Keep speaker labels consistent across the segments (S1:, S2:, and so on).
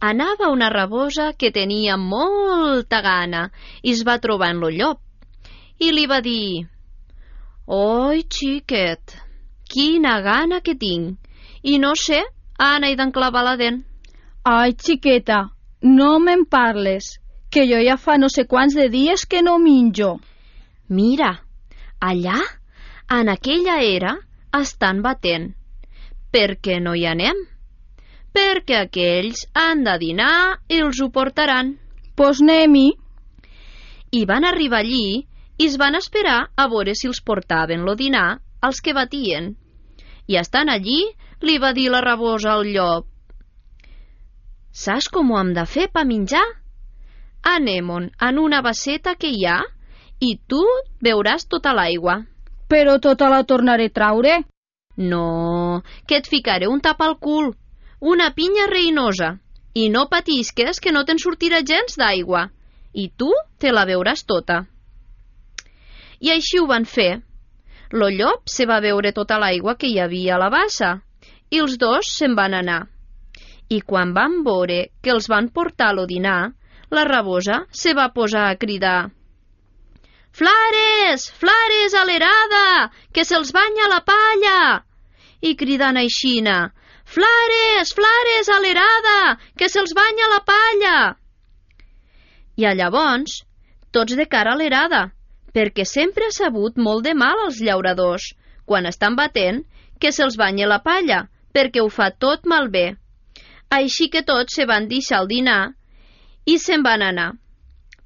S1: anava una rabosa que tenia molta gana i es va trobar en lo llop i li va dir: «Oi, xiquet, quina gana que tinc i no sé on he d'enclavar la dent».
S2: Ai, xiqueta, no me'n parles, que jo ja fa no sé quants de dies que no menjo.
S1: Mira, allà, en aquella era, estan batent. Per què no hi anem? Perquè aquells han de dinar i els ho portaran.
S2: Pues anem-hi.
S1: I van arribar allí i es van esperar a veure si els portaven lo dinar als que batien. I estant allí, li va dir la rabosa al llop: «Saps com ho hem de fer per menjar? Anem-on en una basseta que hi ha i tu beuràs tota l'aigua».
S2: Però tota la tornaré a traure.
S1: «No, que et ficaré un tap al cul, una pinya reinosa, i no patisques que no te'n sortirà gens d'aigua, i tu te la beuràs tota». I així ho van fer. Lo llop se va beure tota l'aigua que hi havia a la bassa i els dos se'n van anar. I quan van veure que els van portar lo dinar, la rabosa se va posar a cridar: «Flares, flares a l'erada, que se'ls banya la palla!» I cridant aixina: «Flares, flares a l'erada, que se'ls banya la palla!» I llavors, tots de cara a l'erada, perquè sempre ha sabut molt de mal als llauradors, quan estan batent, que se'ls banya la palla, perquè ho fa tot malbé. Així que tots se van deixar el dinar i se'n van anar.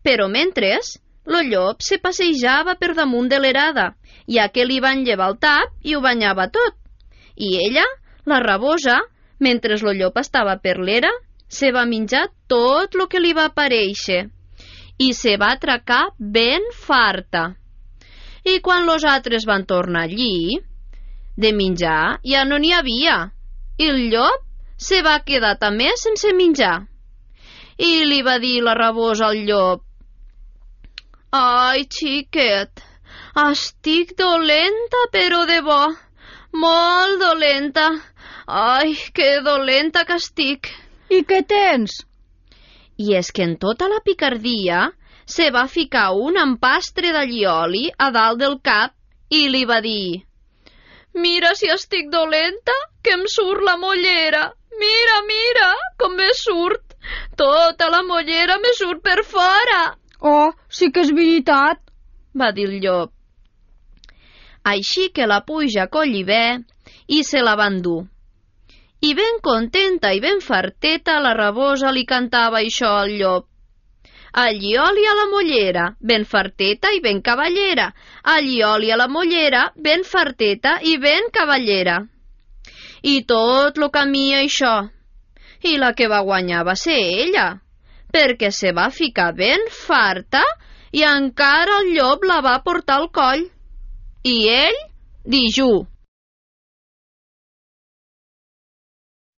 S1: Però mentres, lo llop se passejava per damunt de l'erada, ja que li van llevar el tap i ho banyava tot. I ella, la rabosa, mentre lo llop estava per l'era, se va menjar tot lo que li va aparèixer i se va atracar ben farta. I quan los altres van tornar allí, de menjar ja no n'hi havia, i el llop se va quedar també sense menjar. I li va dir la rabosa al llop: «Ai, xiquet, estic dolenta, però de bo, molt dolenta. Ai, que dolenta que estic».
S2: I què tens?
S1: I és que en tota la picardia se va ficar un empastre d'allioli a dalt del cap i li va dir: «Mira si estic dolenta, que em surt la mollera. Mira, mira, com me surt. Tota la mollera me surt per fora».
S2: «Oh, sí que és veritat»,
S1: va dir el llop. Així que la puja a collibè i se la van dur. I ben contenta i ben farteta la rabosa li cantava això al llop: «Allioli a la mollera, ben farteta i ben cavallera. Allioli a la mollera, ben farteta i ben cavallera». I tot lo camí això. I la que va guanyar va ser ella, perquè se va ficar ben farta i encara el llop la va portar al coll. I ell, dijú.